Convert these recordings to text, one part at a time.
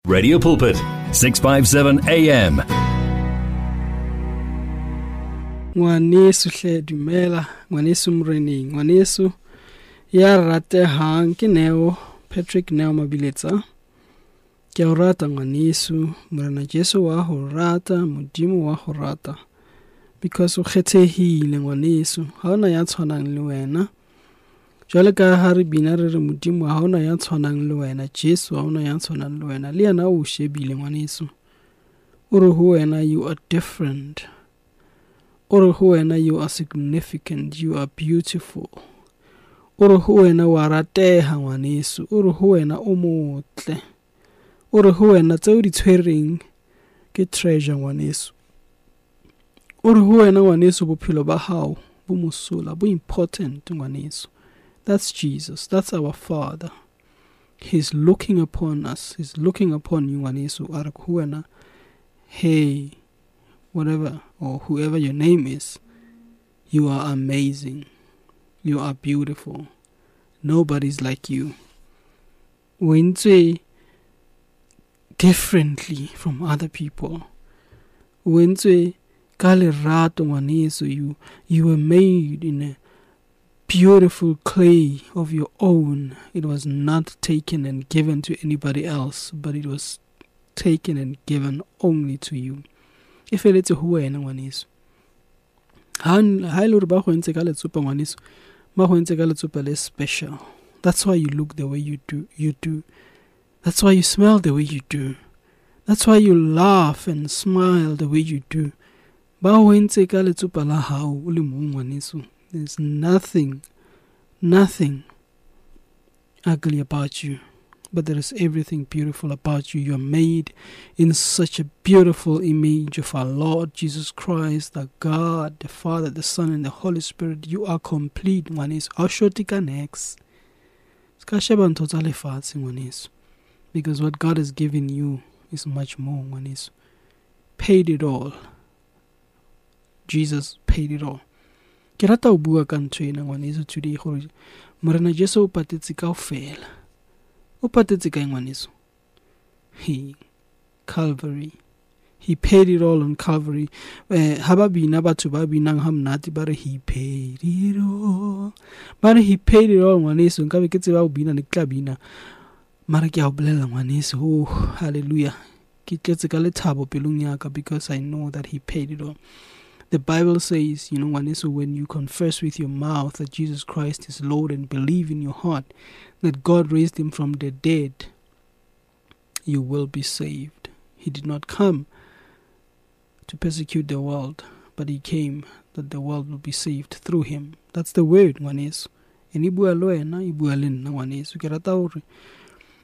Radio Pulpit, 657 AM. Ngwaneso hle dumela, ngwaneso moreneng, ngwaneso ya ratehang ke Neo, Patrick Neo Mabiletsa. Ke a o rata ngwaneso, Morena Jesu wa ho rata, Modimo wa ho rata. Because o kgethehile ngwaneso, ha hona ya tshwanang le wena. Jwale ka ha re bina re re Modimo ha hona ya tshwanang le wena, Jesu ha hona ya tshwanang le wena, le yena o shebile ngwaneso. O re ho wena you are different. O re ho wena you are significant, you are beautiful. O re ho wena wa rateha ngwaneso, o re ho wena o motle. O re ho wena tseo di tshwereng ke treasure ngwaneso. O re ho wena ngwaneso bophelo ba hao bo mosola, bo important ngwaneso. That's Jesus. That's our Father. He's looking upon us. He's looking upon you ngwaneso. A re ho wena, hey, whatever or whoever your name is, you are amazing. You are beautiful. Nobody's like you. O entswe differently from other people. O entswe ka lerato ngwaneso. You were made in a beautiful clay of your own. It was not taken and given to anybody else, but it was taken and given only to you. E feletse ho wena ngwaneso. Ha e le hore ba go entse ka letsopa ngwaneso, ba go entse ka letsopa le special. That's why you look the way you do. You do. That's why you smell the way you do. That's why you laugh and smile the way you do. Ba ho entse ka letsopa la hao o le mong ngwaneso. There's nothing, nothing ugly about you, but there is everything beautiful about you. You are made in such a beautiful image of our Lord Jesus Christ, the God, the Father, the Son, and the Holy Spirit. You are complete, ngwaneso. Ha o short ka niks. Ska sheba ntho tsa lefatshe, ngwaneso. Because what God has given you is much more, ngwaneso. Paid it all. Jesus paid it all. Ke rata ho bua ka ntho ena ngwaneso today gore Morena Jesu o patetse kaofela. O patetse kae ngwaneso? He, Calvary. He paid it all on Calvary. Ha ba bina batho ba binang ha monate ba re he paid it all. Ba re he paid it all ngwaneso. Nkabe ke tseba ho bina ne ke tla bina. Mara ke a o bolella ngwaneso. Oh, hallelujah. Ke tletse ka lethabo pelong ya ka because I know that he paid it all. The Bible says, ngwaneso, when you confess with your mouth that Jesus Christ is Lord and believe in your heart that God raised him from the dead, you will be saved. He did not come to persecute the world, but he came that the world will be saved through him. That's the word, ngwaneso. And e bua le wena, e bua le nna, ngwaneso. Ke rata hore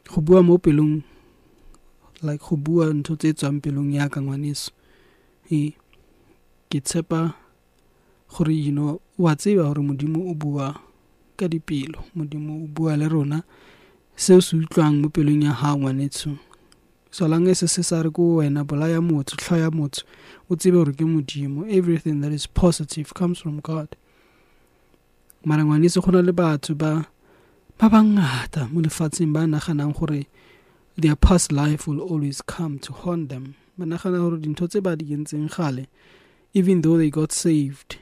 go bua mo pelong, like go bua ntho tse tswang pelong ya ka, ngwaneso. E ke tshepa gore, wa tseba hore Modimo o bua ka dipelo, Modimo o bua le rona. Seo se utlwang mo pelong ya hao ngwanetsho, solange se se sa re ko wena bolaya motho, tlhoya motho, o tsebe hore ke Modimo. Everything that is positive comes from God. Mara ngwaneso, go na le batho ba bangata mo lefatsheng ba naganang gore their past life will always come to haunt them. Ba nagana hore dintho tse ba di entseng kgale, even though they got saved,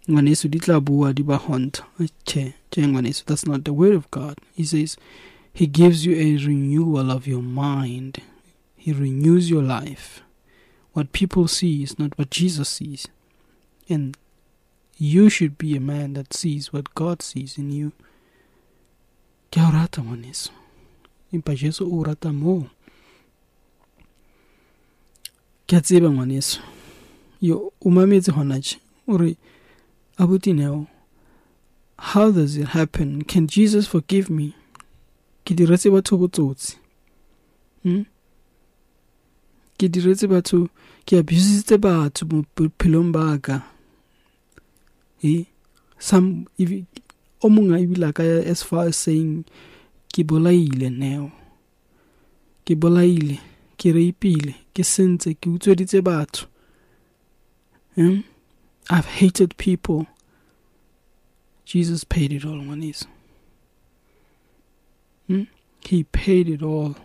ngwaneso, di tla bua di ba haunt. Che, che ngwaneso, that's not the word of God. He says he gives you a renewal of your mind. He renews your life. What people see is not what Jesus sees. And you should be a man that sees what God sees in you. Ke a o rata ngwaneso. Empa Jesu o rata moo. Ke a tseba ngwaneso. Yo, o mametse hona tje. O re, Abuti Neo, how does it happen? Can Jesus forgive me? Ke diretse batho botsotsi. Ke diretse batho, ke abusitse batho mo bophelong ba ka. Some, if, o mongwe a ebile a ka ya as far as saying, ke bolaile Neo. Ke bolaile, ke rapeile, ke sentse, ke utsweditse batho. I've hated people. Jesus paid it all, ngwaneso. He paid it all.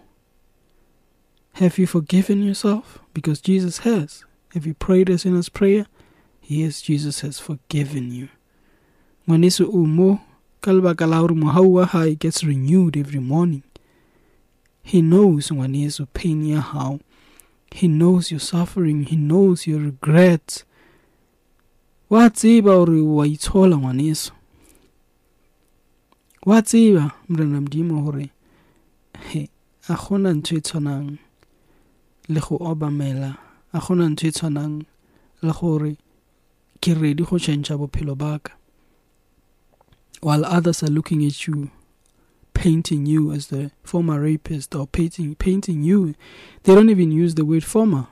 Have you forgiven yourself? Because Jesus has. Have you prayed a sinner's prayer? Yes, Jesus has forgiven you. Ngwaneso o mo ka lebaka la hore mohau wa hae gets renewed every morning. He knows, ngwaneso, pain ya hao. He knows your suffering. He knows your regrets. Wa tseba hore wa itshola, ngwaneso. Wa tseba, Morena Modimo, hore he a gona ntho e tshwanang le go obamela, a gona ntho e tshwanang le gore ke ready go change bophelo ba ka. While others are looking at you, painting you as the former rapist or painting you, they don't even use the word former.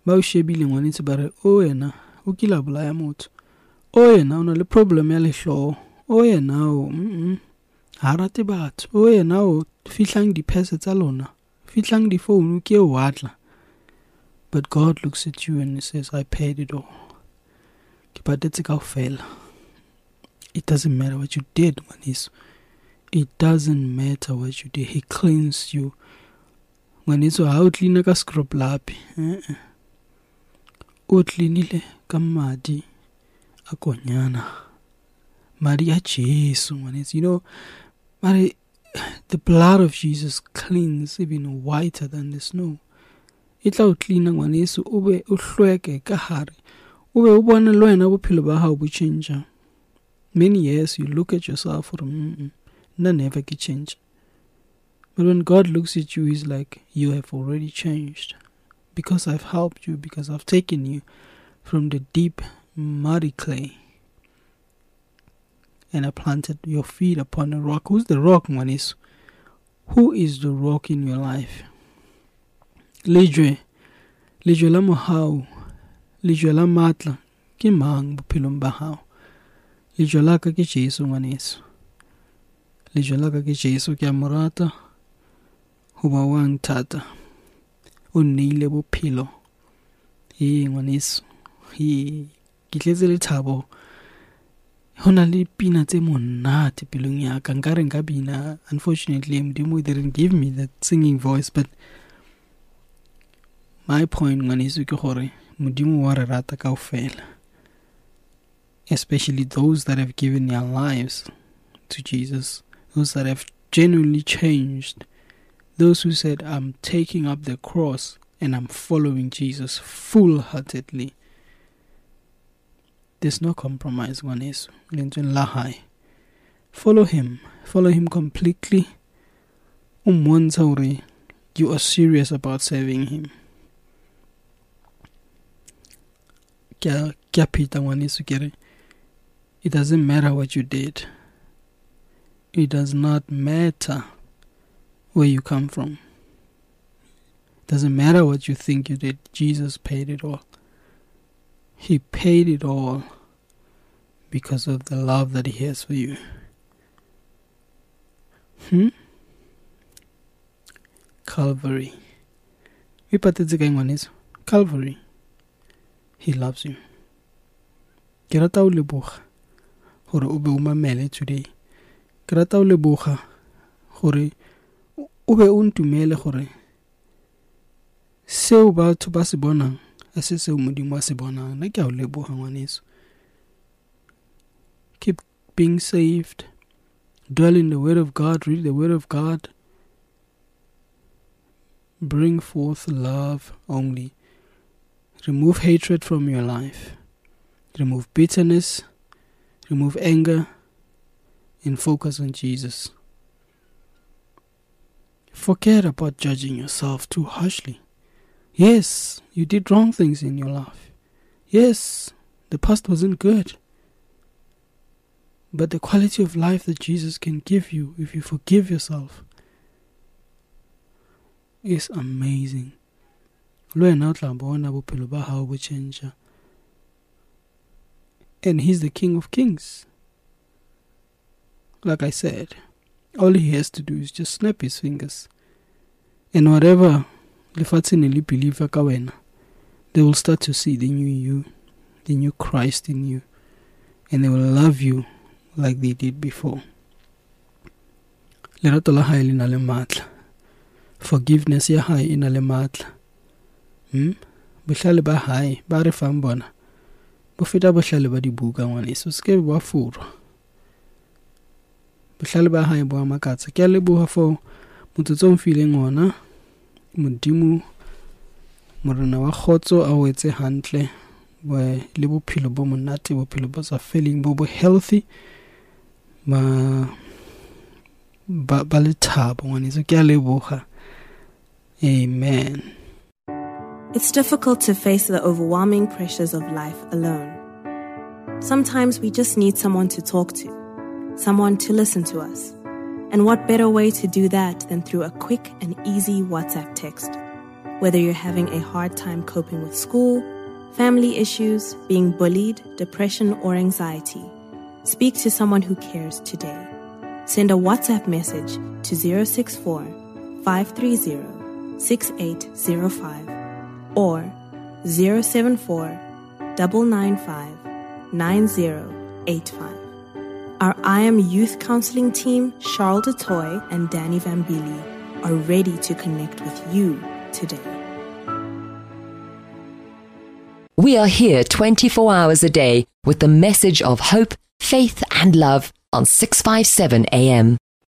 Ba o shebile ngwanetse ba re, o yena o kile a bolaya motho, o yena o na le problem ya lehloho, o yena o ha rate batho, o yena o fihlang diphese tsa lona, fihlang difounu ke o atla. But God looks at you and he says, I paid it all. Ke patetse kaofela. It doesn't matter what you did, ngwaneso. It doesn't matter what you did. He cleansed you. Ngwaneso, ha o cleana ka scrub lapi. O cleanile ka madi a konyana. Madi a Jesu, ngwaneso. Mare, the blood of Jesus cleans even whiter than the snow. E tla o cleana, ngwaneso, o be o hlweke ka hare. O be o bone le wena bophelo ba hao bo change. Many years you look at yourself for nna never ke change. But when God looks at you, he's like, you have already changed. Because I've helped you, because I've taken you from the deep muddy clay. And I planted your feet upon a rock. Who's the rock, ngwaneso? Who is the rock in your life? Lejwe, lejwe la mohau, lejwe la matla, ke mang bophelong ba hao? Lejwe la ka ke Jesu, ngwaneso. Lejwe la ka ke Jesu, ke a mo rata hoba wa nthata. O nneile bophelo. Ee, ngwaneso. Ee, ke tletse lethabo. Ho na le pina tse monate pelong ya ka. Nkare nka bina. Unfortunately, Modimo didn't give me that singing voice, but my point, ngwaneso, ke gore Modimo wa re rata kaofela. Especially those that have given their lives to Jesus, those that have genuinely changed, those who said, I'm taking up the cross and I'm following Jesus full-heartedly. There's no compromise, ngwaneso. Lentsweng la hae. Follow him. Follow him completely. O mmontsha hore you are serious about serving him. Ke a pheta, ngwaneso, ke re, it doesn't matter what you did. It does not matter where you come from. It doesn't matter what you think you did. Jesus paid it all. He paid it all because of the love that he has for you. Calvary. We patetse kae, ngwaneso? Calvary. He loves you. Ke rata ho leboga hore o be o mamele today. Ke rata ho leboga hore o be o ntumele hore seo batho ba se bonang ha se seo Modimo a se bonang. Nna ke a o leboga, ngwaneso. Keep being saved. Dwell in the Word of God. Read the Word of God. Bring forth love only. Remove hatred from your life. Remove bitterness. Remove anger. And focus on Jesus. Forget about judging yourself too harshly. Yes, you did wrong things in your life. Yes, the past wasn't good. But the quality of life that Jesus can give you if you forgive yourself is amazing. Le wena o tla bona bophelo ba hao bo change. And he's the King of Kings. Like I said, all he has to do is just snap his fingers. And whatever lefatshe ne le believe ka wena, they will start to see the new you, the new Christ in you. And they will love you like they did before. Lerato la hae le na le matla. Forgiveness ya hae e na le matla. Bohlale ba hae ba re fang bona bo feta bohlale ba dibuka ngwaneso, se ke ba furwa. Bohlale ba hae bo a makatsa. Ke a leboha for motsotso o mfileng ona. Modimo Morena wa kgotso a o etse hantle le bophelo bo monate, bophelo bo sa feleng, bo bo healthy, ba lethabo ngwaneso. Ke a leboha. Amen. It's difficult to face the overwhelming pressures of life alone. Sometimes we just need someone to talk to, someone to listen to us. And what better way to do that than through a quick and easy WhatsApp text? Whether you're having a hard time coping with school, family issues, being bullied, depression, or anxiety, speak to someone who cares today. Send a WhatsApp message to 064 530 6805 or 074 995 9085. Our I Am Youth Counseling team, Charles DeToy and Danny Vambili, are ready to connect with you today. We are here 24 hours a day with the message of hope, faith and love on 657 AM.